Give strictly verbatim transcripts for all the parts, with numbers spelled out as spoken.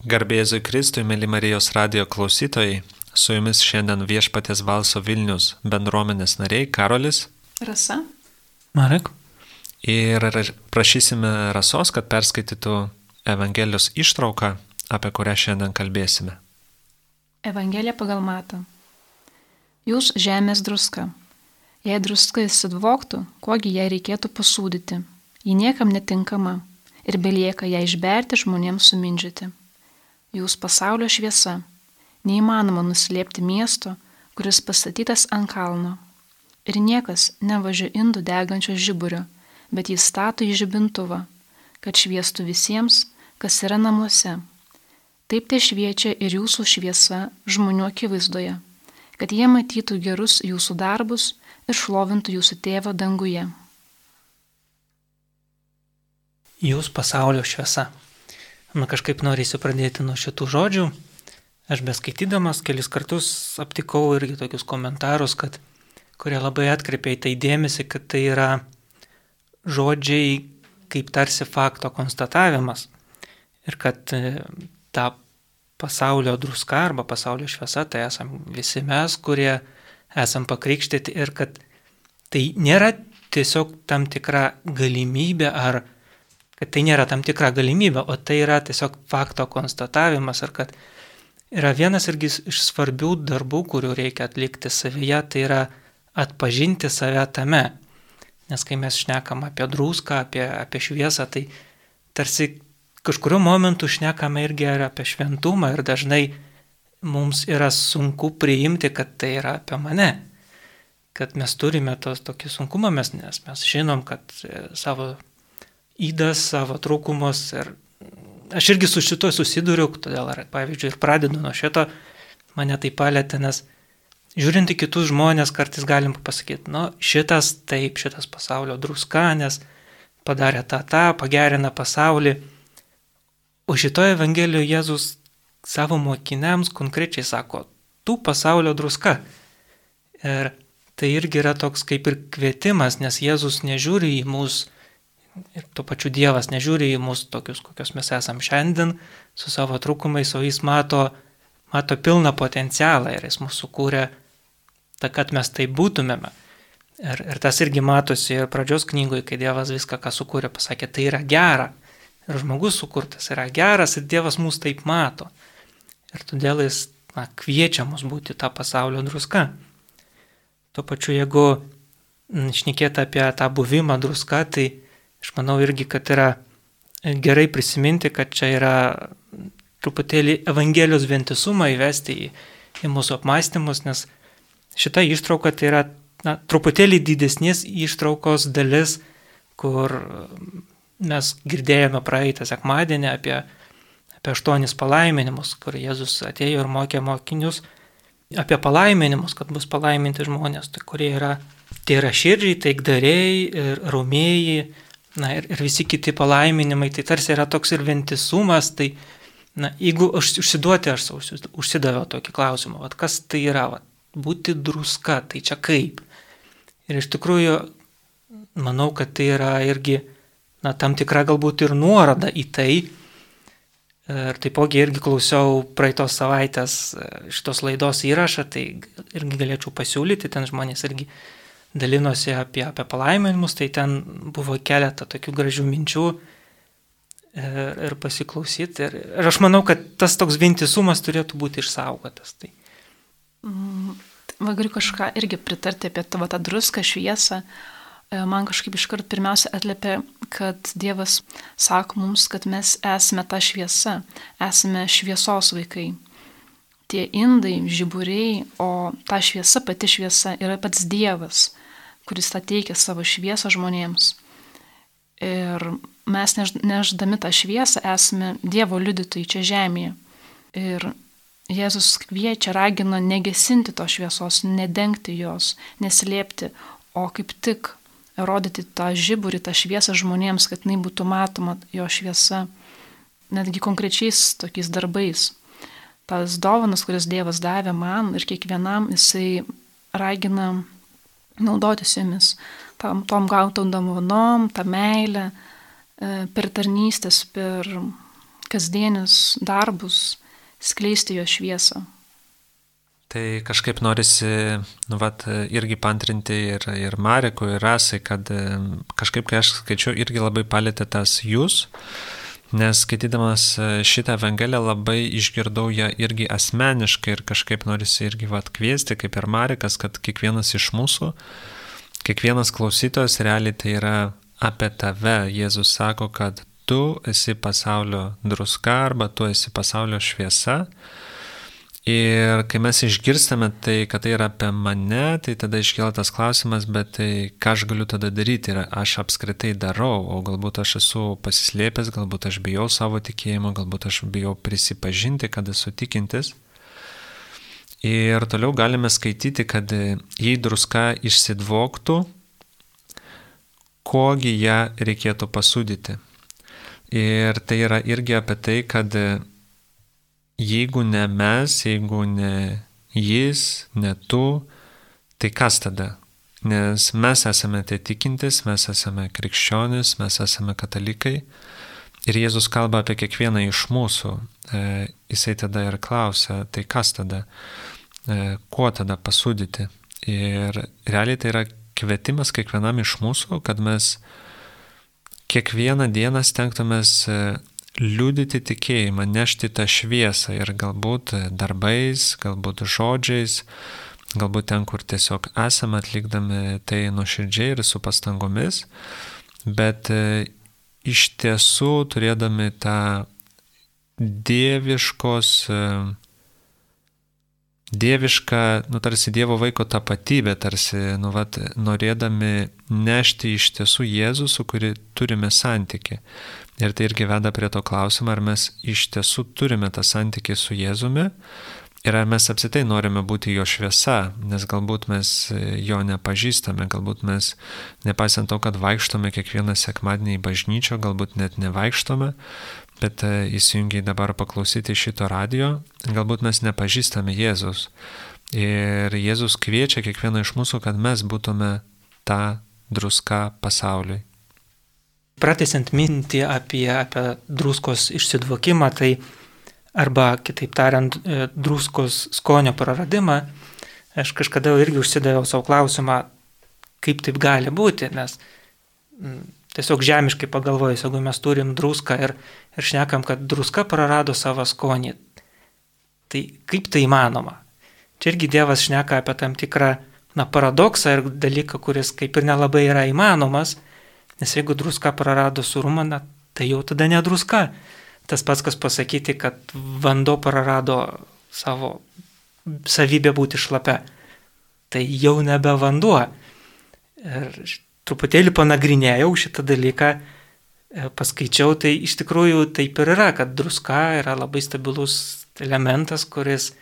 Garbėzui Kristui, mėly Marijos radijo klausytojai, su jumis šiandien Viešpaties Valso Vilnius bendruomenės nariai Karolis, Rasa, Marek. Ir prašysime Rasos, kad perskaitytų Evangelijos ištrauką, apie kurią šiandien kalbėsime. Evangelija pagal Matą. Jūs žemės druska. Jei druska įsidvoktų, kogi jai reikėtų pasūdyti, ji niekam netinkama ir belieka ją išberti žmonėms sumindžioti. Jūs pasaulio šviesa. Neįmanoma nuslėpti miesto, kuris pastatytas ant kalno. Ir niekas nevažia indų degančio žiburio, bet jį stato į žibintuvą, kad šviestų visiems, kas yra namuose. Taip te šviečia ir jūsų šviesa žmonių akivaizdoje, kad jie matytų gerus jūsų darbus ir šlovintų jūsų tėvą danguje. Jūs pasaulio šviesa. Man kažkaip norėsiu pradėti nuo šitų žodžių. Aš beskaitydamas kelis kartus aptikau irgi tokius komentarus, kad, kurie labai atkreipia į tai dėmesį, kad tai yra žodžiai kaip tarsi fakto konstatavimas. Ir kad ta pasaulio druska arba pasaulio šviesa, tai esam visi mes, kurie esam pakrikštyti, ir kad tai nėra tiesiog tam tikra galimybė ar kad tai nėra tam tikra galimybė, o tai yra tiesiog fakto konstatavimas, ir kad yra vienas irgi iš svarbių darbų, kurių reikia atlikti savyje, tai yra atpažinti save tame. Nes kai mes šnekam apie druską, apie, apie šviesą, tai tarsi kažkuriuo momentu šnekame irgi apie šventumą, ir dažnai mums yra sunku priimti, kad tai yra apie mane. Kad mes turime tos tokį sunkumą, mes, nes mes žinom, kad savo įdas, savo trūkumus, ir aš irgi su šito susiduriu, todėl, pavyzdžiui, ir pradedu nuo šito, mane tai palėtė, nes žiūrint į kitus žmonės, kartais galim pasakyti, nu, šitas taip, šitas pasaulio druska, nes padarė tą, tą, pagerina pasaulį. O šitoje Evangelijoje Jėzus savo mokiniams konkrečiai sako, tu pasaulio druska. Ir tai irgi yra toks kaip ir kvietimas, nes Jėzus nežiūri į mus, ir tuo pačiu Dievas nežiūri į mus tokius, kokios mes esam šiandien, su savo trūkumais, o jis mato, mato pilną potencialą, ir jis mūsų sukūrė, ta, kad mes tai būtumėme. Ir, ir tas irgi matosi ir pradžios knygoje, kai Dievas viską, ką sukūrė, pasakė, tai yra gera. Ir žmogus sukurtas yra geras, ir Dievas mus taip mato. Ir todėl jis na, kviečia mus būti tą pasaulio druska. Tuo pačiu, jeigu šnekėti apie tą buvimą druska, tai aš manau irgi, kad yra gerai prisiminti, kad čia yra truputėlį Evangelijos vientisumą įvesti į, į mūsų apmąstymus, nes šita ištrauka tai yra na, truputėlį didesnės ištraukos dalis, kur mes girdėjome praeitą sekmadienį apie, apie aštuonis palaiminimus, kur Jėzus atėjo ir mokė mokinius apie palaiminimus, kad bus palaiminti žmonės, tai kurie yra, tai yra širdžiai, taikdariai ir romėjai, na ir, ir visi kiti palaiminimai, tai tarsi yra toks ir vientisumas, tai na, jeigu aš užsiduoti, aš užsidaviau tokį klausimą, vat, kas tai yra, vat, būti druska, tai čia kaip? Ir iš tikrųjų, manau, kad tai yra irgi, na, tam tikra galbūt ir nuoroda į tai. Ir taipogi irgi klausiau praeitos savaitės šitos laidos įrašą, tai irgi galėčiau pasiūlyti, ten žmonės irgi dalinosi apie, apie palaiminimus, tai ten buvo keletą tokių gražių minčių ir, ir pasiklausyti. Ir, ir aš manau, kad tas toks vientisumas turėtų būti išsaugotas. Tai. Mm, va, galiu kažką irgi pritarti apie tavo tą druską, šviesą. Man kažkaip iškart pirmiausia atliepia, kad Dievas sako mums, kad mes esame ta šviesa, esame šviesos vaikai. Tie indai, žiburiai, o ta šviesa, pati šviesa yra pats Dievas, kuris tą teikia savo šviesą žmonėms. Ir mes neždami tą šviesą esame Dievo liudytojai čia žemėje. Ir Jėzus kviečia, ragina negesinti tos šviesos, nedengti jos, neslėpti, o kaip tik rodyti tą žiburį, tą šviesą žmonėms, kad jinai būtų matoma jo šviesa, netgi konkrečiais tokiais darbais. Tas dovanas, kuris Dievas davė man ir kiekvienam, jisai ragina naudotis jomis, tam, tom gautom dovanom, tą meilę, per tarnystės, per kasdienius darbus, skleisti jo šviesą. Tai kažkaip norisi, nu, vat, irgi pantrinti ir, ir Marekui, ir Rasai, kad kažkaip, kai aš skaičiau, irgi labai palėtė tas jūs, nes skaitydamas šitą Evangeliją labai išgirdau ją irgi asmeniškai ir kažkaip norisi irgi vat kviesti, kaip ir Marekas, kad kiekvienas iš mūsų, kiekvienas klausytojas realiai tai yra apie tave. Jėzus sako, kad tu esi pasaulio druska arba tu esi pasaulio šviesa. Ir kai mes išgirstame tai, kad tai yra apie mane, tai tada iškyla tas klausimas, bet tai ką aš galiu tada daryti ir aš apskritai darau, o galbūt aš esu pasislėpęs, galbūt aš bijau savo tikėjimo, galbūt aš bijau prisipažinti, kad esu tikintis. Ir toliau galime skaityti, kad jei druska išsidvoktų, kogi ją reikėtų pasūdyti. Ir tai yra irgi apie tai, kad jeigu ne mes, jeigu ne jis, ne tu, tai kas tada? Nes mes esame tie tikintis, mes esame krikščionis, mes esame katalikai. Ir Jėzus kalba apie kiekvieną iš mūsų. E, jisai tada ir klausia, tai kas tada? E, kuo tada pasūdyti? Ir realiai tai yra kvietimas kiekvienam iš mūsų, kad mes kiekvieną dieną stengtumės liudyti tikėjimą, nešti tą šviesą ir galbūt darbais, galbūt žodžiais, galbūt ten, kur tiesiog esame atlikdami tai nuoširdžiai ir su pastangomis, bet iš tiesų turėdami tą dieviškos, dievišką, nu tarsi Dievo vaiko tapatybę, tarsi, nu vat, norėdami nešti iš tiesų Jėzų, su kuri turime santykį. Ir tai irgi veda prie to klausimo, ar mes iš tiesų turime tą santykį su Jėzumi ir ar mes apskritai norime būti jo šviesa, nes galbūt mes jo nepažįstame, galbūt mes, nepaisant to, kad vaikštome kiekvieną sekmadienį į bažnyčią, galbūt net nevaikštome, bet įsijungiai dabar paklausyti šito radio, galbūt mes nepažįstame Jėzus. Ir Jėzus kviečia kiekvieną iš mūsų, kad mes būtume ta druska pasauliui. Pratęsiant mintį apie, apie druskos išsidvokimą, tai arba, kitaip tariant, druskos skonio praradimą, aš kažkada irgi užsidaviau savo klausimą, kaip taip gali būti, nes tiesiog žemiškai pagalvojus, jeigu mes turim druską ir, ir šnekam, kad druska prarado savo skonį, tai kaip tai įmanoma? Čia irgi Dievas šneka apie tam tikrą na, paradoksą ir dalyką, kuris kaip ir nelabai yra įmanomas, nes jeigu druska prarado surumą, na, tai jau tada ne druska. Tas pats, kas pasakyti, kad vanduo prarado savo savybę būti šlapia, tai jau nebe vanduo. Ir truputėlį panagrinėjau šitą dalyką, paskaičiau, tai iš tikrųjų taip ir yra, kad druska yra labai stabilus elementas, kuris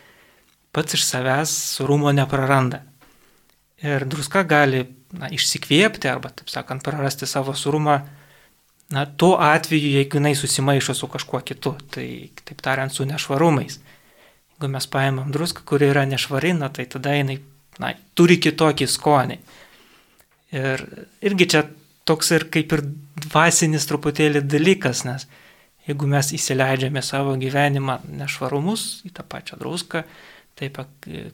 pats iš savęs surumo nepraranda. Ir druska gali na, išsikvėpti arba, taip sakant, prarasti savo surumą, na, tuo atveju, jeigu jinai susimaišo su kažkuo kitu, tai, taip tariant, su nešvarumais. Jeigu mes paimam druską, kuri yra nešvari, na, tai tada jinai na, turi kitokį skonį. Ir irgi čia toks ir kaip ir dvasinis truputėlį dalykas, nes jeigu mes įsileidžiame savo gyvenimą nešvarumus į tą pačią druską, taip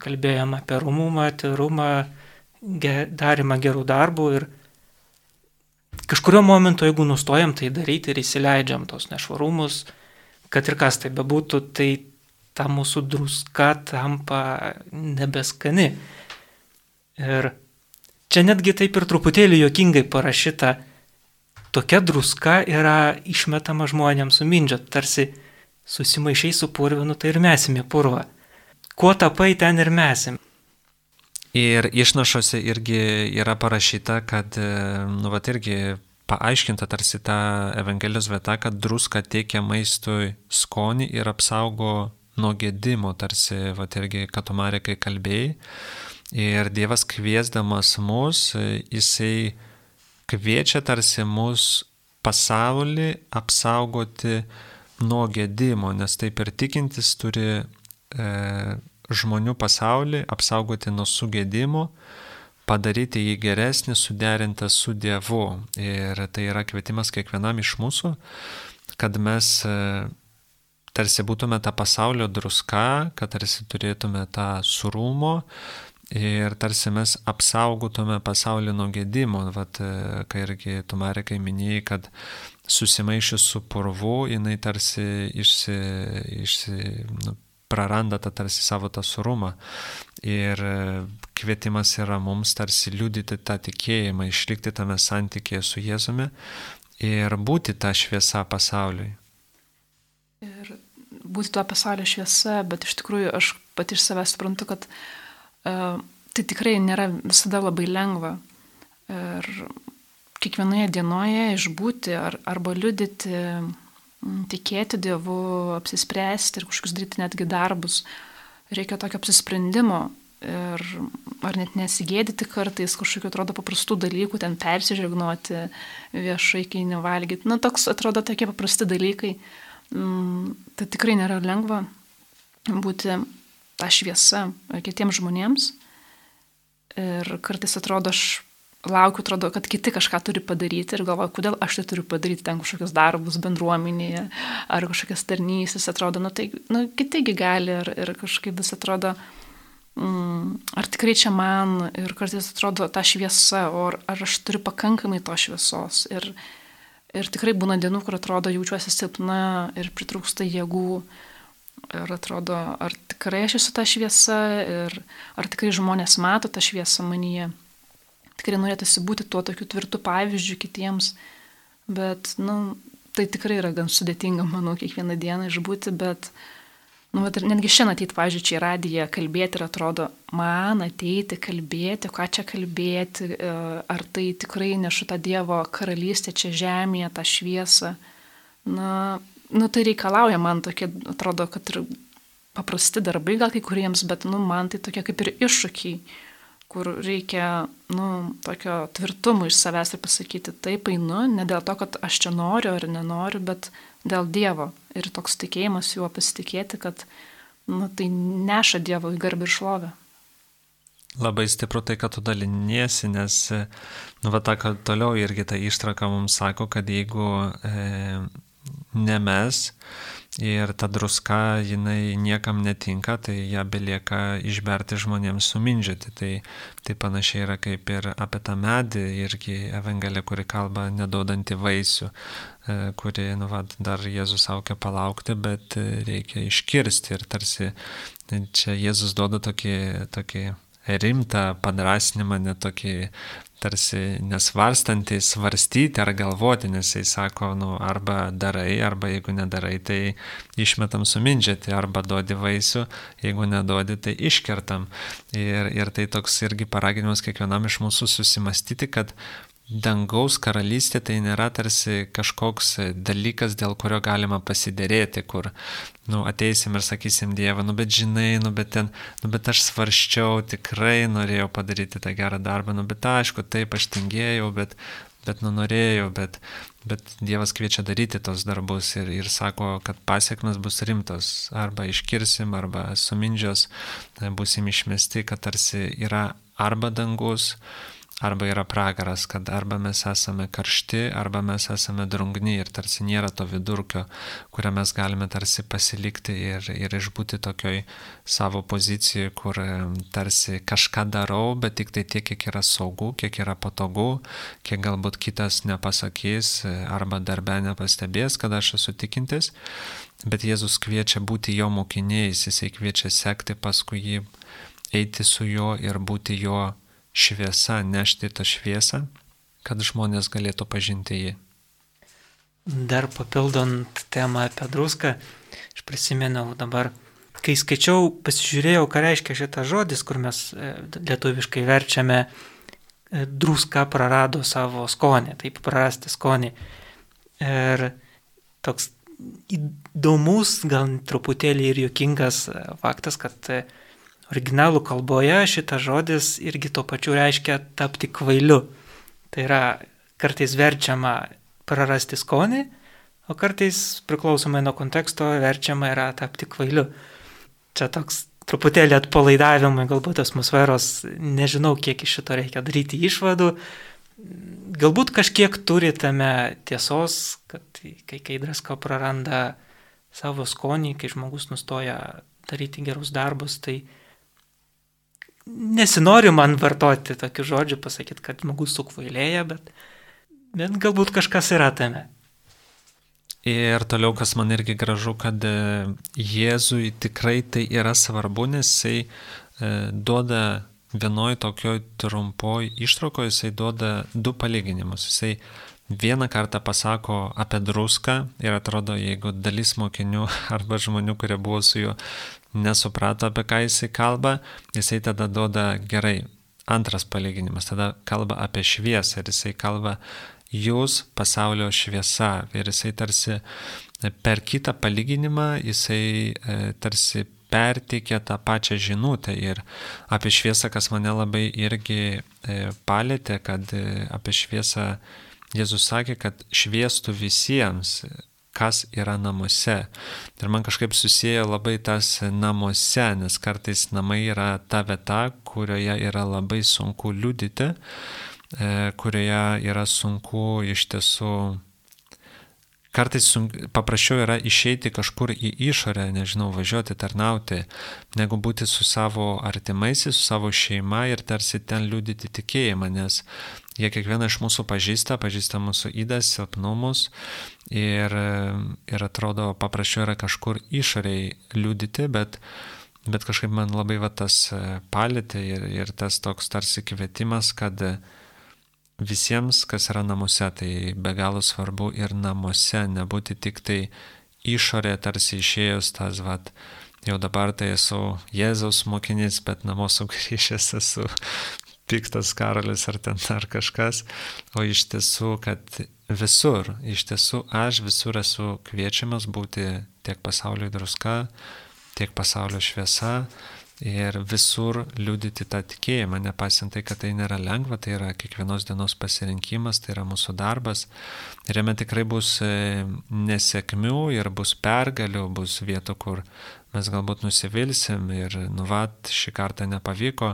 kalbėjom apie rumumą, tyrumą, darimą gerų darbų ir kažkurio momentu, jeigu nustojam tai daryti ir įsileidžiam tos nešvarumus, kad ir kas tai bebūtų, tai ta mūsų druska tampa nebeskani. Ir čia netgi taip ir truputėlį juokingai parašyta, tokia druska yra išmetama žmonėms sumindžiot, tarsi susimaišiai su purvinu, tai ir mesim į purvą. Kuo tapai, ten ir mesim. Ir išnašose irgi yra parašyta, kad, nu, vat irgi paaiškinta tarsi ta Evangelijos vieta, kad druska teikia maistui skonį ir apsaugo nuo gedimo, tarsi, vat irgi Katumarekai kalbėjai. Ir Dievas kviesdamas mus, jisai kviečia tarsi mus pasaulį apsaugoti nuo gedimo, nes taip ir tikintis turi e, žmonių pasaulį apsaugoti nuo sugėdimo, padaryti jį geresnį, suderintą su Dievu. Ir tai yra kvietimas kiekvienam iš mūsų, kad mes tarsi būtume tą pasaulio druska, kad tarsi turėtume tą surumo ir tarsi mes apsaugotume pasaulį nuo gedimo. Vat, kai irgi tu, Marekai, minėjai, kad susimaišius su purvu, jinai tarsi išsi, išsi, nu, praranda tą tarsi savo tą surumą. Ir kvietimas yra mums tarsi liudyti tą tikėjimą, išlikti tame santykėje su Jėzumi ir būti tą šviesą pasauliui. Ir būti tuo pasaulio šviesa, bet iš tikrųjų aš pati iš savęs suprantu, kad uh, tai tikrai nėra visada labai lengva. Ir kiekvienoje dienoje išbūti ar, arba liudyti, tikėti Dievu, apsispręsti ir kažkokius daryti netgi darbus. Reikia tokio apsisprendimo ir ar net nesigėdyti kartais kažkokių atrodo paprastų dalykų, ten persižegnoti viešai, kai nevalgyti. Na, toks atrodo tokie paprasti dalykai. Tai tikrai nėra lengva būti tą šviesą kitiems žmonėms. Ir kartais atrodo, aš laukiu, atrodo, kad kiti kažką turi padaryti ir galvoju, kodėl aš tai turiu padaryti, ten kažkokius darbus bendruomenėje ar kažkokias tarnystės, atrodo, nu tai nu, kitigi gali ir, ir kažkaip vis atrodo, mm, ar tikrai čia man ir kartais atrodo ta šviesa, o ar, ar aš turiu pakankamai to šviesos ir, ir tikrai būna dienų, kur atrodo jaučiuosi silpna ir pritrūksta jėgų ir atrodo, ar tikrai aš esu ta šviesa ir ar tikrai žmonės mato tą šviesą manyje. Tikrai norėtųsi būti tuo tokiu tvirtu pavyzdžiu kitiems, bet, nu, tai tikrai yra gan sudėtinga, manau, kiekvieną dieną išbūti, bet, nu, bet ir netgi šiandien ateiti, pavyzdžiui, čia į radiją kalbėti ir atrodo, man ateiti, kalbėti, ką čia kalbėti, ar tai tikrai nešu tą Dievo karalystę čia žemėje, tą šviesą. Na, nu, tai reikalauja man tokie, atrodo, kad ir paprasti darbai gal kai kuriems, bet, nu, man tai tokie kaip ir iššūkiai, kur reikia, nu, tokio tvirtumo iš savęs ir pasakyti, taip einu, ne dėl to, kad aš čia noriu ar nenoriu, bet dėl Dievo. Ir toks tikėjimas juo pasitikėti, kad, nu, tai neša Dievo į garbę ir šlovę. Labai stipru tai, kad tu daliniesi, nes, nu, va, ta, kad toliau irgi ta ištraka mums sako, kad jeigu e, ne mes ir ta druska, jinai niekam netinka, tai ją belieka išberti žmonėms sumindžioti. Tai, tai panašiai yra kaip ir apie tą medį, irgi Evangelija, kuri kalba neduodanti vaisių, kuri, nu, va, dar Jėzus saukia palaukti, bet reikia iškirsti. Ir tarsi čia Jėzus duoda tokį, tokį rimtą padrasnimą, net tokį tarsi nesvarstantį, svarstyti ar galvoti, nes jis sako, nu, arba darai, arba jeigu nedarai, tai išmetam sumindžiati, arba duodi vaisių, jeigu neduodi, tai iškertam. Ir, ir tai toks irgi paraginimas kiekvienam iš mūsų susimastyti, kad dangaus karalystė tai nėra tarsi kažkoks dalykas, dėl kurio galima pasiderėti, kur, nu, ateisim ir sakysim Dievą, nu, bet žinai, nu, bet ten, nu, bet aš svarščiau, tikrai norėjau padaryti tą gerą darbą, nu, bet aišku, taip, aš tingėjau, bet, bet, nu, norėjau, bet, bet Dievas kviečia daryti tos darbus ir, ir sako, kad pasiekmes bus rimtos, arba iškirsim, arba sumindžios, busim išmesti, kad tarsi yra arba dangus, arba yra pragaras, kad arba mes esame karšti, arba mes esame drungni ir tarsi nėra to vidurkio, kurią mes galime tarsi pasilikti ir, ir išbūti tokioj savo pozicijoje, kur tarsi kažką darau, bet tik tai tiek, kiek yra saugu, kiek yra patogu, kiek galbūt kitas nepasakys arba darbe nepastebės, kad aš esu tikintis. Bet Jėzus kviečia būti jo mokiniais, jisai kviečia sekti paskui jį, eiti su juo ir būti jo šviesa, nešti tą šviesą, kad žmonės galėtų pažinti jį. Dar papildant temą apie druską, aš prisimenu dabar, kai skaičiau, pasižiūrėjau, ką reiškia šitas žodis, kur mes lietuviškai verčiame druska prarado savo skonį, taip prarasti skonį. Ir toks įdomus, gal truputėlį ir juokingas faktas, kad originalų kalboje šitas žodis irgi tuo pačiu reiškia tapti kvailiu. Tai yra kartais verčiama prarasti skonį, o kartais priklausomai nuo konteksto verčiama yra tapti kvailiu. Čia toks truputėlį atpalaidavimai galbūt atmosferos, nežinau, kiek iš šito reikia daryti išvadų. Galbūt kažkiek turi tame tiesos, kad kai, kai druska praranda savo skonį, kai žmogus nustoja daryti gerus darbus, tai nesinori man vartoti tokių žodžių, pasakyti, kad žmogus sukvailėja, bet, bet galbūt kažkas yra tame. Ir toliau, kas man irgi gražu, kad Jėzui tikrai tai yra svarbu, nes jisai duoda vienoj tokioj trumpoj ištraukoje, jisai duoda du palyginimus. Jisai vieną kartą pasako apie druską ir atrodo, jeigu dalis mokinių arba žmonių, kurie buvo su juo, nesuprato, apie ką jisai kalba, jisai tada duoda gerai. Antras palyginimas, tada kalba apie šviesą ir jisai kalba jūs pasaulio šviesa. Ir jisai tarsi per kitą palyginimą, jisai tarsi perteikia tą pačią žinutę. Ir apie šviesą, kas mane labai irgi palėtė, kad apie šviesą Jėzus sakė, kad šviestų visiems, kas yra namuose. Ir man kažkaip susieja labai tas namuose, nes kartais namai yra ta vieta, kurioje yra labai sunku liudyti, kurioje yra sunku iš tiesų, kartais sunku, paprasčiau yra išeiti kažkur į išorę, nežinau, važiuoti, tarnauti, negu būti su savo artimaisiais, su savo šeima ir tarsi ten liudyti tikėjimą, nes jie kiekvieną iš mūsų pažįsta, pažįsta mūsų ydas, silpnumus ir, ir atrodo paprasčiau yra kažkur išoriai liudyti, bet, bet kažkaip man labai va tas palėtė ir, ir tas toks tarsi kvietimas, kad visiems, kas yra namuose, tai be galo svarbu ir namuose, nebūti tik tai išorė, tarsi išėjus tas, vat, jau dabar tai esu Jėzaus mokinys, bet namo sugrįžęs esu piktas karolis ar ten ar kažkas, o iš tiesų, kad visur, iš tiesų aš visur esu kviečiamas būti tiek pasaulio druska, tiek pasaulio šviesa ir visur liudyti tą tikėjimą, nepaisant tai, kad tai nėra lengva, tai yra kiekvienos dienos pasirinkimas, tai yra mūsų darbas ir jame tikrai bus nesėkmių ir bus pergalių, bus vietų, kur mes galbūt nusivilsim ir nuvat šį kartą nepavyko,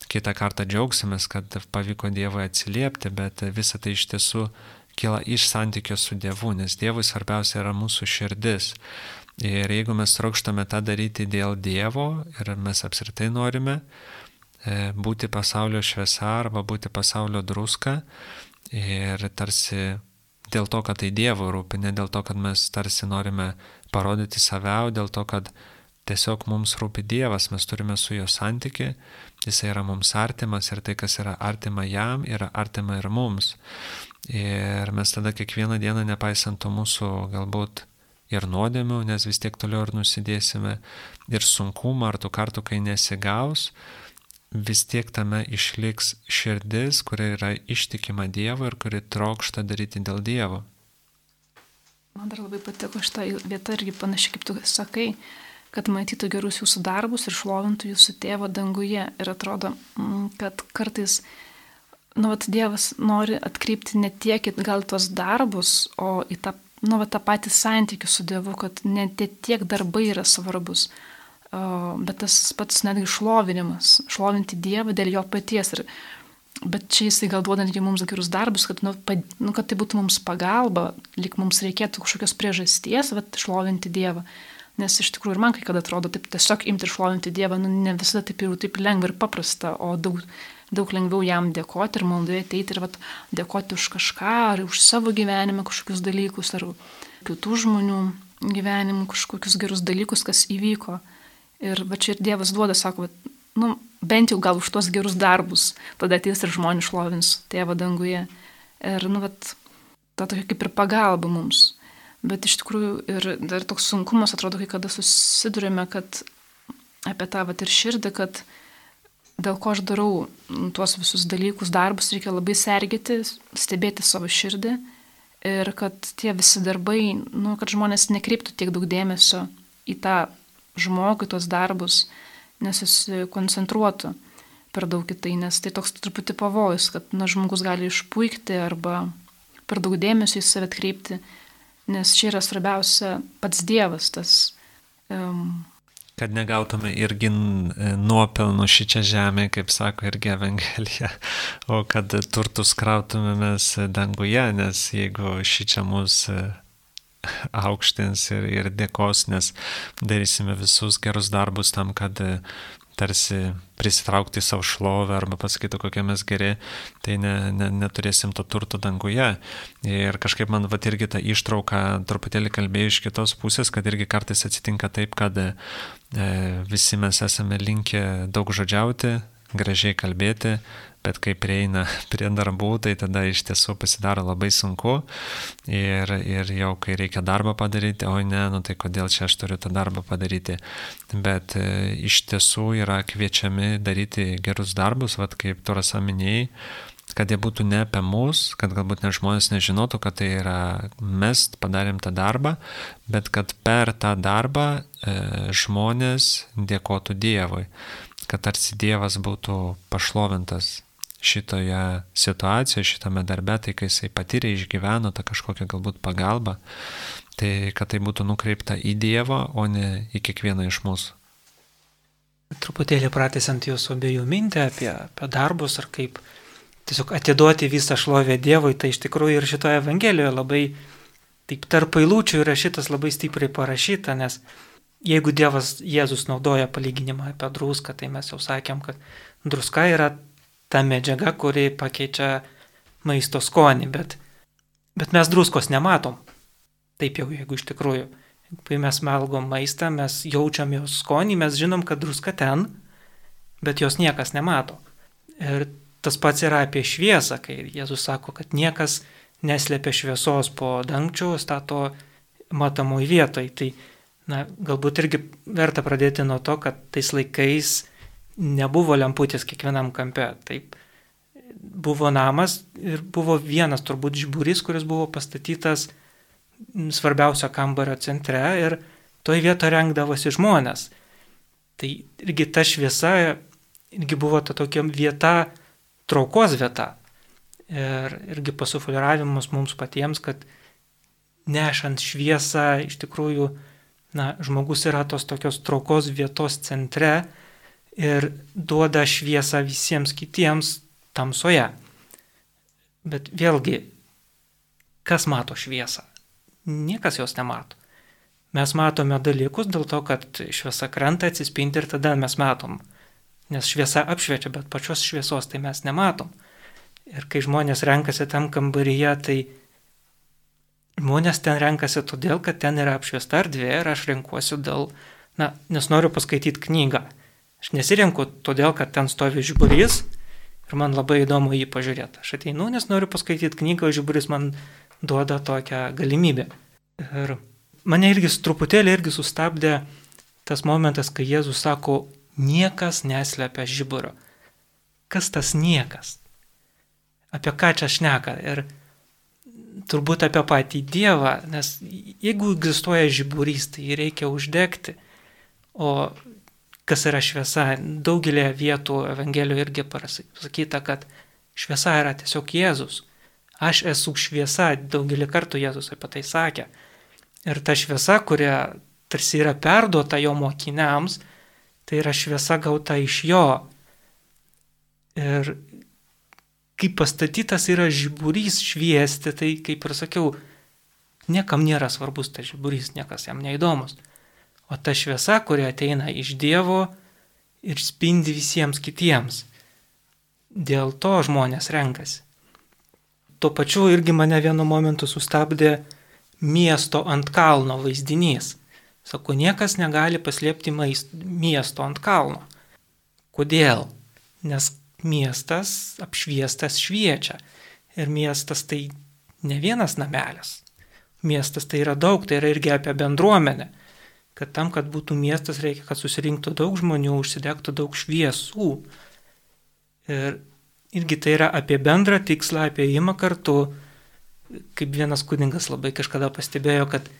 kitą kartą džiaugsimės, kad pavyko Dievui atsiliepti, bet visa tai iš tiesų kyla iš santykio su Dievu, nes Dievui svarbiausia yra mūsų širdis. Ir jeigu mes trokštame tą daryti dėl Dievo ir mes apskritai norime būti pasaulio šviesa arba būti pasaulio druska ir tarsi dėl to, kad tai Dievo rūpi, ne dėl to, kad mes tarsi norime parodyti save, o dėl to, kad tiesiog mums rūpi Dievas, mes turime su juo santykį, jis yra mums artimas ir tai, kas yra artima jam, yra artima ir mums. Ir mes tada kiekvieną dieną, nepaisant to mūsų galbūt ir nuodėmių, nes vis tiek toliau ir nusidėsime, ir sunkumą, ar tų kartų, kai nesigaus, vis tiek tame išliks širdis, kuri yra ištikima Dievo ir kuri trokšta daryti dėl Dievo. Man dar labai patiko šitą vietą irgi panašiai, kaip tu sakai, kad matytų gerus jūsų darbus ir šlovintų jūsų tėvą danguje. Ir atrodo, kad kartais, nu, vat, Dievas nori atkreipti ne tiek į gal tuos darbus, o į tą, nu, vat, tą patį santykį su Dievu, kad ne tiek darbai yra svarbus, o, bet tas pats netgi šlovinimas, šlovinti Dievą dėl jo paties. Ir, bet čia jisai gal duoda netgi mums gerus darbus, kad, nu, pad, nu, kad tai būtų mums pagalba, lyg mums reikėtų kažkokios priežasties, vat, šlovinti Dievą. Nes iš tikrųjų ir man kai kada atrodo, taip tiesiog imti ir šlovinti Dievą, nu, ne visada taip jau taip lengva ir paprasta, o daug, daug lengviau jam dėkoti ir maldoje ateiti ir vat, dėkoti už kažką, ar už savo gyvenimą kažkokius dalykus, ar kitų žmonių gyvenimų kažkokius gerus dalykus, kas įvyko. Ir va čia ir Dievas duoda, sako, vat, nu, bent jau gal už tuos gerus darbus, tada ateis ir žmonės šlovins Tėvą danguje. Ir, nu, vat, ta tokia kaip ir pagalba mums. Bet iš tikrųjų ir dar toks sunkumas, atrodo, kai kada susidurime, kad apie tą vat ir širdį, kad dėl ko aš darau tuos visus dalykus, darbus, reikia labai sergėti, stebėti savo širdį ir kad tie visi darbai, nu, kad žmonės nekreiptų tiek daug dėmesio į tą žmogų, tuos darbus, nesusikoncentruotų per daug į tai, nes tai toks truputį pavojus, kad na, žmogus gali išpuikti arba per daug dėmesio į save atkreipti. Nes čia yra svarbiausia pats Dievas, tas... Um, kad negautume irgi nuopelnų šičia žemė, kaip sako irgi Evangelija, o kad turtus krautumėmės danguje, nes jeigu šičia mus aukštins ir, ir dėkos, nes darysime visus gerus darbus tam, kad tarsi prisitraukti savo šlovę arba pasakyti, kokie mes geri, tai ne, ne, neturėsim to turto danguje. Ir kažkaip man vat irgi ta ištrauka truputėlį kalbėjo iš kitos pusės, kad irgi kartais atsitinka taip, kad e, visi mes esame linkę daug žodžiauti, gražiai kalbėti, bet kai prieina prie darbų, tai tada iš tiesų pasidaro labai sunku ir, ir jau kai reikia darbą padaryti, oi ne, nu tai kodėl čia aš turiu tą darbą padaryti. Bet e, iš tiesų yra kviečiami daryti gerus darbus, vat kaip tu Rasa minėjai, kad jie būtų ne apie mus, kad galbūt ne žmonės nežinotų, kad tai yra mes padarėm tą darbą, bet kad per tą darbą e, žmonės dėkotų Dievui, kad tarsi Dievas būtų pašlovintas šitoje situacijoje, šitame darbe, tai kai jisai patyrė, išgyveno tą kažkokią galbūt pagalbą, tai kad tai būtų nukreipta į Dievą, o ne į kiekvieną iš mūsų. Truputėlį pratęsiant jūsų abiejų mintį apie, apie darbus ar kaip tiesiog atiduoti visą šlovę Dievui, tai iš tikrųjų ir šitoje Evangelijoje labai taip tarp eilučių yra šitas labai stipriai parašyta, nes jeigu Dievas Jėzus naudoja palyginimą apie druską, tai mes jau sakėm, kad druska yra ta medžiaga, kuri pakeičia maisto skonį, bet, bet mes druskos nematom. Taip jau, jeigu iš tikrųjų. Kai mes valgom maistą, mes jaučiam jos skonį, mes žinom, kad druska ten, bet jos niekas nemato. Ir tas pats yra apie šviesą, kai Jėzus sako, kad niekas neslėpia šviesos po dangčiu, stato matomoj vietoj. Tai na, galbūt irgi verta pradėti nuo to, kad tais laikais nebuvo lemputės kiekvienam kampe. Taip, buvo namas ir buvo vienas turbūt žiburys, kuris buvo pastatytas svarbiausio kambario centre ir toj vietoje rengdavosi žmonės. Tai irgi ta šviesa irgi buvo ta tokia vieta, traukos vieta. Ir irgi pasufliravimas mums patiems, kad nešant šviesą iš tikrųjų na, žmogus yra tos tokios traukos vietos centre ir duoda šviesą visiems kitiems tamsoje. Bet vėlgi, kas mato šviesą? Niekas jos nemato. Mes matome dalykus dėl to, kad šviesa krenta, atsispindi ir tada mes matom. Nes šviesa apšviečia, bet pačios šviesos tai mes nematom. Ir kai žmonės renkasi tam kambaryje, tai žmonės ten renkasi todėl, kad ten yra apšviesta erdvė ir aš renkuosiu dėl, na, nes noriu paskaityti knygą. Aš nesirenku todėl, kad ten stovi žiburys ir man labai įdomu jį pažiūrėti. Aš ateinu, nes noriu paskaityti knygą, o žiburys man duoda tokią galimybę. Ir mane irgi truputėlį irgi sustabdė tas momentas, kai Jėzus sako, niekas neslepia žiburio. Kas tas niekas? Apie ką čia šneka? Ir turbūt apie patį Dievą, nes jeigu egzistuoja žiburys, tai jį reikia uždegti. O kas yra šviesa? Daugelį vietų Evangelijoje irgi pasakyta, kad šviesa yra tiesiog Jėzus. Aš esu šviesa, daugelį kartų Jėzus apie tai sakė. Ir ta šviesa, kuria tarsi yra perduota jo mokiniams, tai yra šviesa gauta iš jo. Ir kaip pastatytas yra žiburys šviesti, tai kaip ir sakiau, niekam nėra svarbus tas žiburys, niekas jam neįdomus. O ta šviesa, kuri ateina iš Dievo ir spindi visiems kitiems. Dėl to žmonės renkasi. Tuo pačiu irgi mane vienu momentu sustabdė miesto ant kalno vaizdinys. Sako, niekas negali paslėpti maist, miesto ant kalno. Kodėl? Nes miestas apšviestas šviečia. Ir miestas tai ne vienas namelis. Miestas tai yra daug, tai yra irgi apie bendruomenę. Kad tam, kad būtų miestas, reikia, kad susirinktų daug žmonių, užsidegtų daug šviesų. Ir irgi tai yra apie bendrą tikslą, apie ėjimą kartu. Kaip vienas kunigas labai kažkada pastebėjo, kad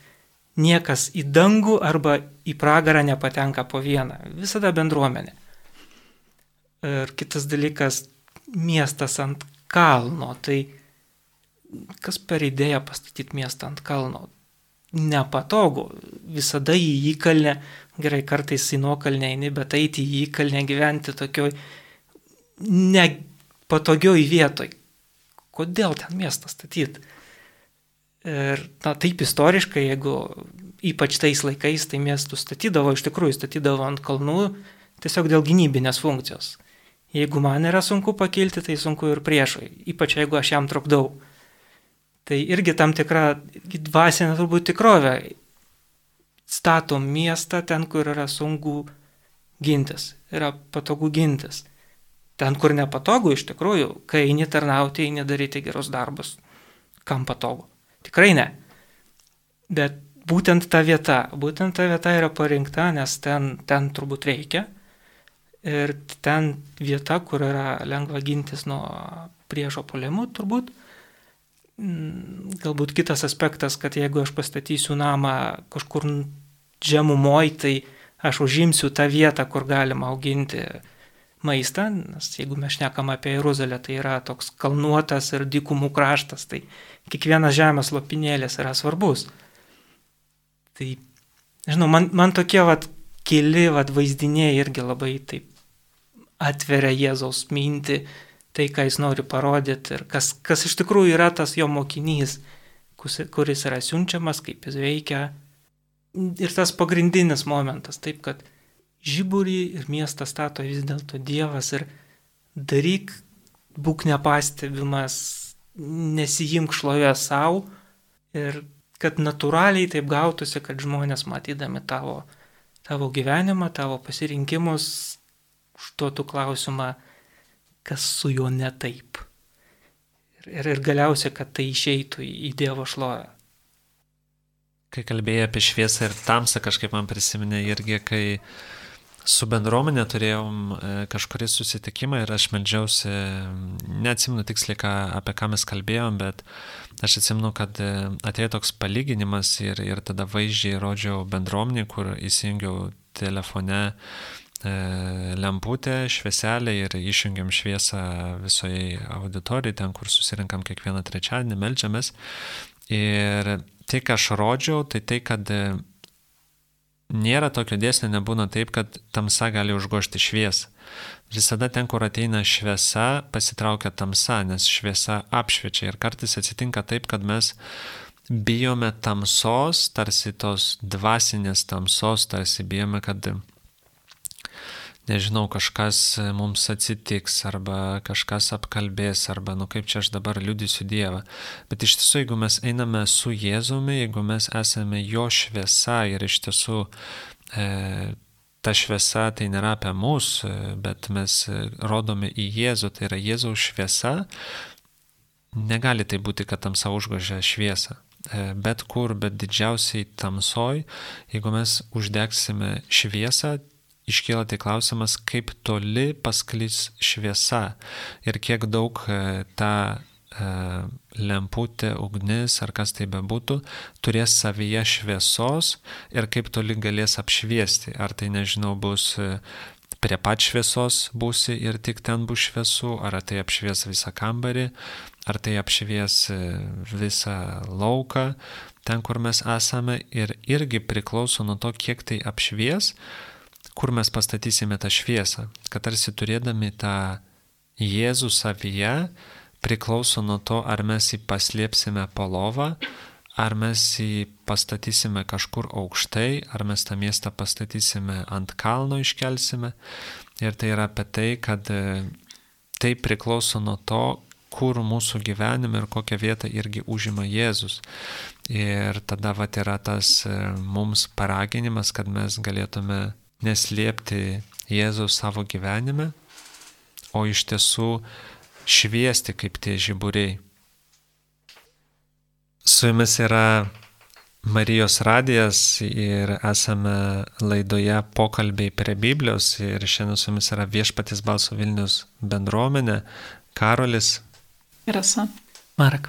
niekas į dangų arba į pragarą nepatenka po vieną. Visada bendruomenė. Ir kitas dalykas, miestas ant kalno. Tai kas per idėją pastatyti miestą ant kalno? Nepatogu. Visada į įkalnę, gerai kartais į nuokalnę eini, bet eiti į įkalnę gyventi tokioj nepatogioj vietoj. Kodėl ten miestą statyti? Ir na, taip istoriškai, jeigu ypač tais laikais, tai miestus statydavo, iš tikrųjų statydavo ant kalnų tiesiog dėl gynybinės funkcijos. Jeigu man yra sunku pakilti, tai sunku ir priešui, ypač jeigu aš jam trukdau. Tai irgi tam tikra dvasinė turbūt tikrovė. Statom miestą ten, kur yra sunku gintis, yra patogu gintis. Ten, kur nepatogu, iš tikrųjų, kai eini tarnauti, eini daryti gerus darbus. Kam patogu? Tikrai ne. Bet būtent ta vieta, būtent ta vieta yra parinkta, nes ten, ten turbūt reikia. Ir ten vieta, kur yra lengva gintis nuo priešo puolimų, turbūt. Galbūt kitas aspektas, kad jeigu aš pastatysiu namą kažkur žemumoj, tai aš užimsiu tą vietą, kur galima auginti maistą, nes jeigu mes šnekam apie Jeruzalę, tai yra toks kalnuotas ir dykumų kraštas, tai kiekvienas žemės lopinėlis yra svarbus. Tai, žinau, man, man tokie vat, keli vat, vaizdiniai irgi labai taip atveria Jėzaus mintį, tai, ką jis nori parodyti ir kas, kas iš tikrųjų yra tas jo mokinys, kuris yra siunčiamas, kaip jis veikia. Ir tas pagrindinis momentas, taip, kad žiburį ir miestą stato vis dėlto Dievas ir daryk, būk nepastebimas, nesijimk šlovę savo ir kad natūraliai taip gautųsi, kad žmonės matydami tavo, tavo gyvenimą, tavo pasirinkimus, užduotų klausimą, kas su juo ne taip. Ir, ir, ir galiausiai, kad tai išeitų į, į Dievo šlovę. Kai kalbėjai apie šviesą ir tamsą, kažkaip man prisiminė irgi, kai su bendruomenė turėjom kažkurį susitikimą ir aš meldžiausi, neatsimenu tiksliai, ką, apie ką mes kalbėjom, bet aš atsimenu, kad atėjo toks palyginimas ir, ir tada vaizdžiai rodžiau bendruomenį, kur įsijungiau telefone e, lemputę, švieselę ir išjungiam šviesą visoje auditorijai, ten, kur susirinkam kiekvieną trečiadienį, meldžiamės. Ir tai, ką aš rodžiau, tai tai, kad nėra tokio dėsnio, nebūna taip, kad tamsa gali užgožti šviesą. Visada ten, kur ateina šviesa, pasitraukia tamsa, nes šviesa apšviečia. Ir kartais atsitinka taip, kad mes bijome tamsos, tarsi tos dvasinės tamsos, tarsi bijome, kad, nežinau, kažkas mums atsitiks, arba kažkas apkalbės, arba, nu kaip čia aš dabar liudysiu Dievą. Bet iš tiesų, jeigu mes einame su Jėzumi, jeigu mes esame jo šviesa ir iš tiesų e, ta šviesa tai nėra apie mus, bet mes rodome į Jėzų, tai yra Jėzaus šviesa, negali tai būti, kad tamsa užgožia šviesą. E, bet kur, bet didžiausiai tamsoj, jeigu mes uždegsime šviesą, iškyla tai klausimas, kaip toli pasklis šviesa ir kiek daug ta e, lemputė, ugnis ar kas tai bebūtų, turės savyje šviesos ir kaip toli galės apšviesti. Ar tai, nežinau, bus prie pat šviesos būsi ir tik ten bus šviesu, ar tai apšvies visą kambarį, ar tai apšvies visą lauką, ten, kur mes esame, ir irgi priklauso nuo to, kiek tai apšvies, kur mes pastatysime tą šviesą, kad tarsi turėdami tą Jėzų savyje priklauso nuo to, ar mes jį paslėpsime po lovą, ar mes jį pastatysime kažkur aukštai, ar mes tą miestą pastatysime ant kalno, iškelsime. Ir tai yra apie tai, kad tai priklauso nuo to, kur mūsų gyvenime ir kokią vietą irgi užima Jėzus. Ir tada vat yra tas mums paraginimas, kad mes galėtume neslėpti Jėzaus savo gyvenime, o iš tiesų šviesti kaip tie žiburiai. Su jumis yra Marijos radijas ir esame laidoje Pokalbiai prie Biblijos ir šiandien su jumis yra Viešpaties balso Vilnius bendruomenė, Karolis ir Rasa. Marek.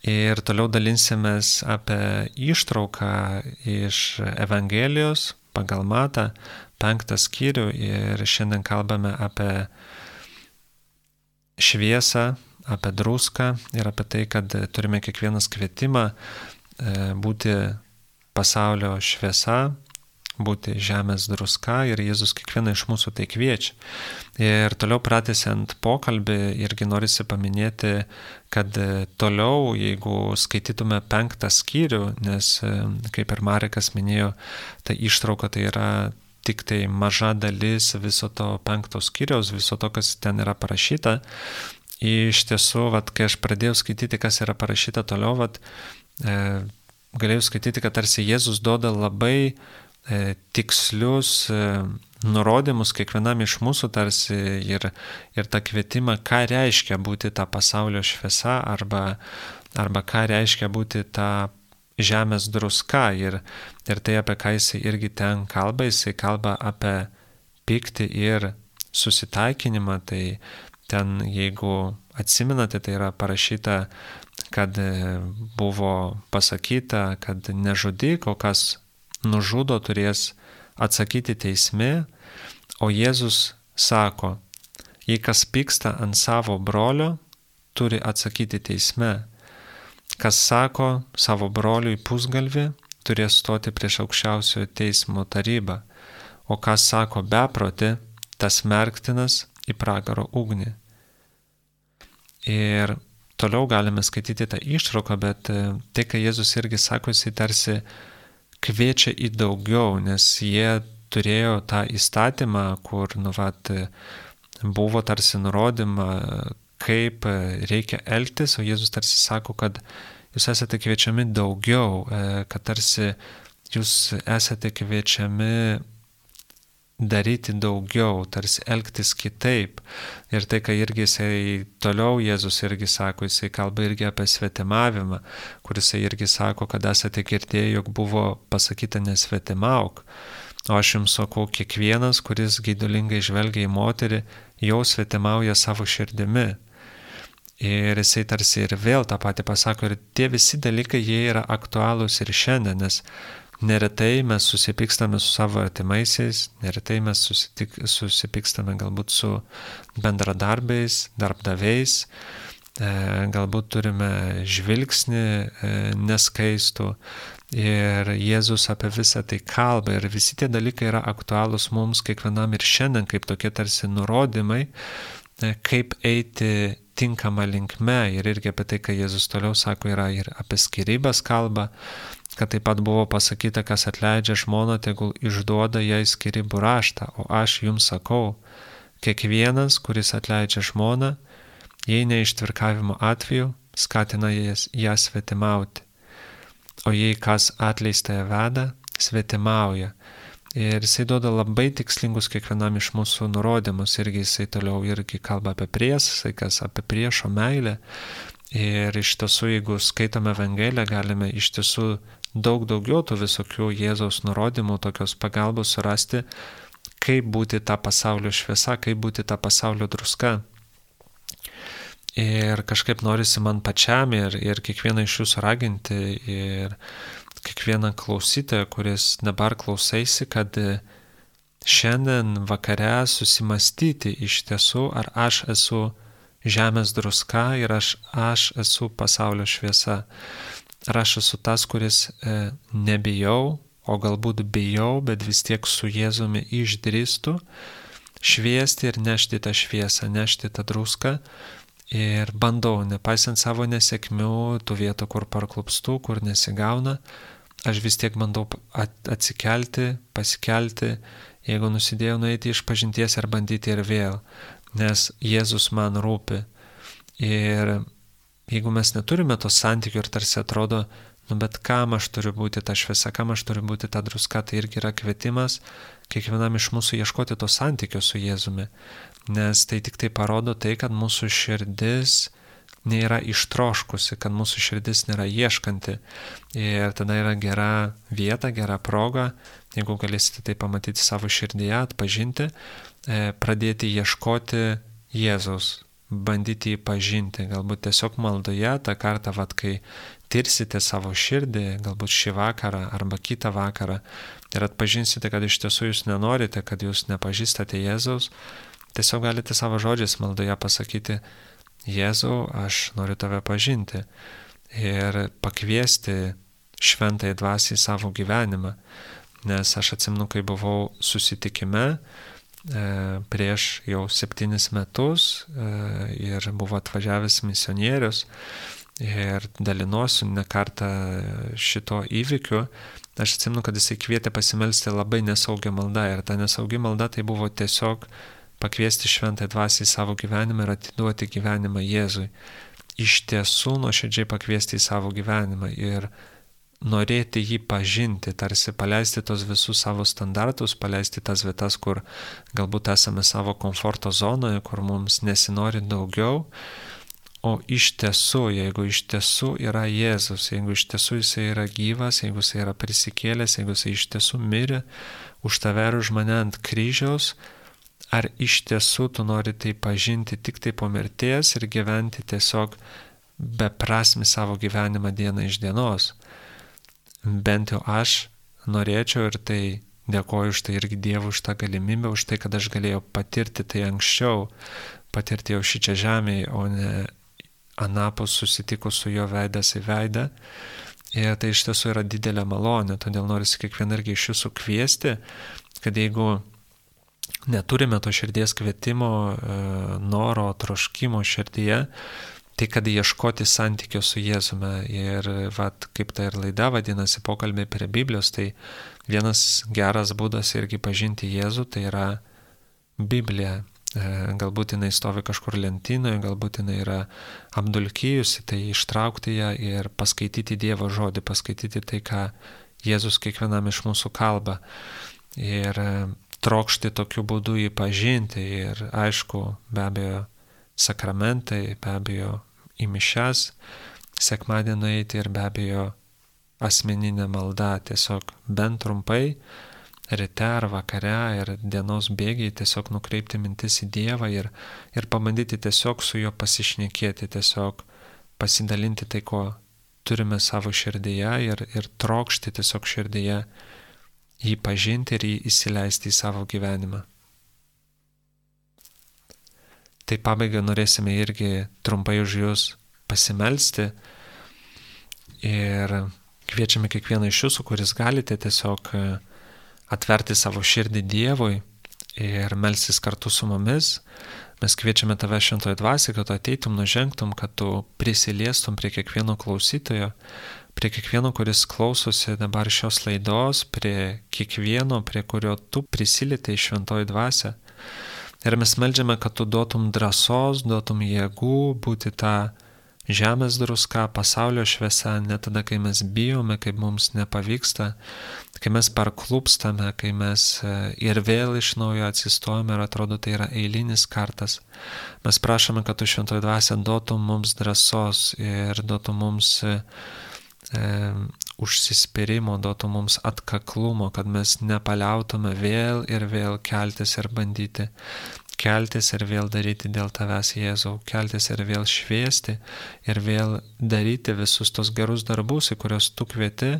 Ir toliau dalinsimės apie ištrauką iš Evangelijos pagal Matą, penktą skyrių, ir šiandien kalbame apie šviesą, apie druską ir apie tai, kad turime kiekvienas kvietimą būti pasaulio šviesa, būti žemės druska ir Jėzus kiekvieną iš mūsų tai kviečia. Ir toliau pratęsiant pokalbį irgi norisi paminėti, kad toliau, jeigu skaitytume penktą skyrių, nes kaip ir Marekas minėjo, ta ištrauka tai yra tik tai maža dalis viso to penkto skyriaus, viso to, kas ten yra parašyta. Iš tiesų, vat, kai aš pradėjau skaityti, kas yra parašyta toliau, vat, e, galėjau skaityti, kad tarsi Jėzus duoda labai e, tikslius e, nurodymus kiekvienam iš mūsų tarsi ir, ir tą kvietimą, ką reiškia būti ta pasaulio šviesa arba, arba ką reiškia būti ta žemės druska. Ir, ir tai, apie ką jisai irgi ten kalba, jisai kalba apie pyktį ir susitaikinimą. Tai ten, jeigu atsimenate, tai yra parašyta, kad buvo pasakyta, kad nežudyk, o kas nužudo turės atsakyti teisme, o Jėzus sako, jei kas pyksta ant savo brolio, turi atsakyti teisme. Kas sako savo broliui pusgalvį, turės stoti prieš aukščiausiojo teismo tarybą, o kas sako beprotį, tas merktinas į pragaro ugnį. Ir toliau galime skaityti tą ištrauką, bet tai, ką Jėzus irgi sako, jisai tarsi kviečia į daugiau, nes jie turėjo tą įstatymą, kur nu, vat, buvo tarsi nurodyma, kaip reikia elgtis, o Jėzus tarsi sako, kad jūs esate kviečiami daugiau, kad tarsi jūs esate kviečiami daryti daugiau, tarsi elgtis kitaip. Ir tai, ką irgi jisai toliau Jėzus irgi sako, jisai kalba irgi apie svetimavimą, kur jisai irgi sako, kad esate girdėję, jog buvo pasakyta nesvetimauk. O aš jums sakau, kiekvienas, kuris geidulingai žvelgia į moterį, jau svetimauja savo širdimi. Ir jisai tarsi ir vėl tą patį pasako, ir tie visi dalykai, jie yra aktualūs ir šiandien, nes neretai mes susipykstame su savo artimaisiais, neretai mes susitik, susipykstame galbūt su bendradarbiais, darbdaviais, e, galbūt turime žvilgsnį e, neskaistų ir Jėzus apie visą tai kalba ir visi tie dalykai yra aktualūs mums kiekvienam ir šiandien kaip tokie tarsi nurodymai, e, kaip eiti tinkama linkme ir irgi apie tai, ką Jėzus toliau sako, yra ir apie skyrybas kalba, kad taip pat buvo pasakyta, kas atleidžia žmoną, tegul išduoda jai skyrybų raštą, o aš jums sakau, kiekvienas, kuris atleidžia žmoną, jei ne ištvirkavimo atveju, skatina jas, ją svetimauti, o jei kas atleistąją veda, svetimauja. Ir jisai duoda labai tikslingus kiekvienam iš mūsų nurodymus, irgi jisai toliau irgi kalba apie priesaikas, apie priešo meilę. Ir iš tiesų, jeigu skaitome Evangeliją, galime iš tiesų daug daugiau tų visokių Jėzaus nurodymų, tokios pagalbos surasti, kaip būti tą pasaulio šviesa, kaip būti tą pasaulio druska. Ir kažkaip norisi man pačiam ir, ir kiekvieną iš jūsų raginti ir kiekvieną klausytoją, kuris dabar klausaisi, kad šiandien vakare susimastyti iš tiesų, ar aš esu žemės druska ir aš, aš esu pasaulio šviesa. Ar aš esu tas, kuris e, nebijau, o galbūt bijau, bet vis tiek su Jėzumi išdrįstu šviesti ir nešti tą šviesą, nešti tą druską ir bandau, nepaisant savo nesėkmių, tų vietų, kur parklupstu, kur nesigauna, aš vis tiek bandau atsikelti, pasikelti, jeigu nusidėjau nueiti iš pažinties ir bandyti ir vėl. Nes Jėzus man rūpi. Ir jeigu mes neturime to santykių ir tarsi atrodo, nu bet kam aš turiu būti ta šviesa, kam aš turiu būti ta druska, tai irgi yra kvietimas kiekvienam iš mūsų ieškoti to santykio su Jėzumi. Nes tai tik tai parodo tai, kad mūsų širdis nėra ištroškusi, kad mūsų širdis nėra ieškanti. Ir tada yra gera vieta, gera proga, jeigu galėsite tai pamatyti savo širdyje, atpažinti, pradėti ieškoti Jėzaus, bandyti jį pažinti, galbūt tiesiog maldoje, tą kartą, vat, kai tirsite savo širdį, galbūt šį vakarą arba kitą vakarą ir atpažinsite, kad iš tiesų jūs nenorite, kad jūs nepažįstate Jėzaus, tiesiog galite savo žodžiais maldoje pasakyti, Jėzau, aš noriu tave pažinti ir pakviesti šventąją dvasią į savo gyvenimą. nes aš atsimenu, kai buvau susitikime prieš jau septynis metus ir buvo atvažiavęs misionierius ir dalinuosiu ne kartą šito įvykiu. Aš atsimenu, kad jisai kvietė pasimelsti labai nesaugią maldą ir ta nesaugi malda tai buvo tiesiog pakviesti šventąją dvasią į savo gyvenimą ir atiduoti gyvenimą Jėzui. Iš tiesų nuoširdžiai pakviesti į savo gyvenimą ir norėti jį pažinti, tarsi paleisti tos visus savo standartus, paleisti tas vietas, kur galbūt esame savo komforto zonoje, kur mums nesinori daugiau, o iš tiesų, jeigu iš tiesų yra Jėzus, jeigu iš tiesų jisai yra gyvas, jeigu jisai yra prisikėlęs, jeigu jisai iš tiesų mirė už tave ir už mane ant kryžiaus, ar iš tiesų tu nori tai pažinti tik tai po mirties ir gyventi tiesiog beprasmį savo gyvenimą dieną iš dienos. Bent jau aš norėčiau ir tai dėkoju už tai irgi Dievui už tą galimybę, už tai, kad aš galėjau patirti tai anksčiau, patirti jau šičia žemėje, o ne anapus susitikus su jo veidas į veidą. Ir tai iš tiesų yra didelė malonė, todėl norisi kiekvieną irgi iš jūsų kviesti, kad jeigu neturime to širdies kvietimo, noro, troškimo širdyje, tai kad ieškoti santykio su Jėzumi. Ir vat, kaip ta ir laida vadinasi pokalbiai prie Biblijos, tai vienas geras būdas irgi pažinti Jėzų, tai yra Biblija. Galbūt jinai stovi kažkur lentynoje, galbūt jinai yra apdulkijusi, tai ištraukti ją ir paskaityti Dievo žodį, paskaityti tai, ką Jėzus kiekvienam iš mūsų kalba. Ir trokšti tokiu būdu jį pažinti ir aišku, be abejo, sakramentai, be abejo, į mišias, sekmadienį eiti ir be abejo asmeninė malda, tiesiog bent trumpai, ryte ar vakare ir dienos bėgiai tiesiog nukreipti mintis į Dievą ir, ir pabandyti tiesiog su juo pasišnekėti, tiesiog pasidalinti tai, ko turime savo širdyje ir, ir trokšti tiesiog širdyje jį pažinti ir jį įsileisti į savo gyvenimą. Tai pabaigai norėsime irgi trumpai už jūs pasimelsti ir kviečiame kiekvieną iš jūsų, kuris galite tiesiog atverti savo širdį Dievui ir melstis kartu su mumis. Mes kviečiame tave šventoje dvasioje, kad tu ateitum, nužengtum, kad tu prisiliestum prie kiekvieno klausytojo, prie kiekvieno, kuris klausosi dabar šios laidos, prie kiekvieno, prie kurio tu prisilietai šventoje dvasioje. Ir mes meldžiame, kad tu duotum drąsos, duotum jėgų būti tą žemės druska, pasaulio šviesa, ne tada, kai mes bijome, kai mums nepavyksta, kai mes parklupstame, kai mes ir vėl iš naujo atsistojame ir atrodo tai yra eilinis kartas. Mes prašome, kad tu šventoji dvasia duotum mums drąsos ir duotum mums e, užsispyrimo, duotų mums atkaklumo, kad mes nepaliautume vėl ir vėl keltis ir bandyti, keltis ir vėl daryti dėl tavęs, Jėzau, keltis ir vėl šviesti ir vėl daryti visus tos gerus darbus, į kuriuos tu kvieti,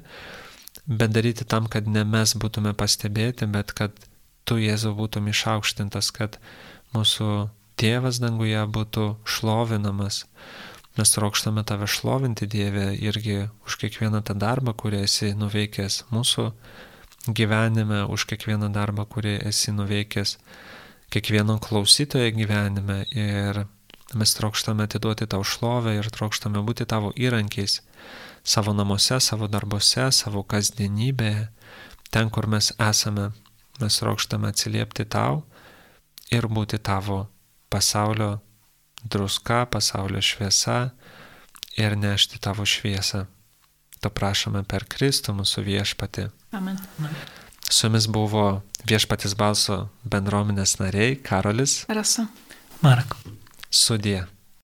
bet daryti tam, kad ne mes būtume pastebėti, bet kad tu, Jėzau, būtum išaukštintas, kad mūsų Tėvas danguje būtų šlovinamas. Mes trokštame tave šlovinti, Dieve, irgi už kiekvieną tą darbą, kurį esi nuveikęs mūsų gyvenime, už kiekvieną darbą, kurį esi nuveikęs kiekvieno klausytojo gyvenime. Ir mes trokštame atiduoti tau šlovę ir trokštame būti tavo įrankiais savo namuose, savo darbuose, savo kasdienybėje, ten, kur mes esame. Mes trokštame atsiliepti tau ir būti tavo pasaulio druska, pasaulio šviesa ir nešti tavo šviesą. To prašome per Kristų mūsų viešpatį. Amen. Su jumis buvo Viešpaties balso bendruomenės nariai Karolis, Rasa, Mark. Sudie.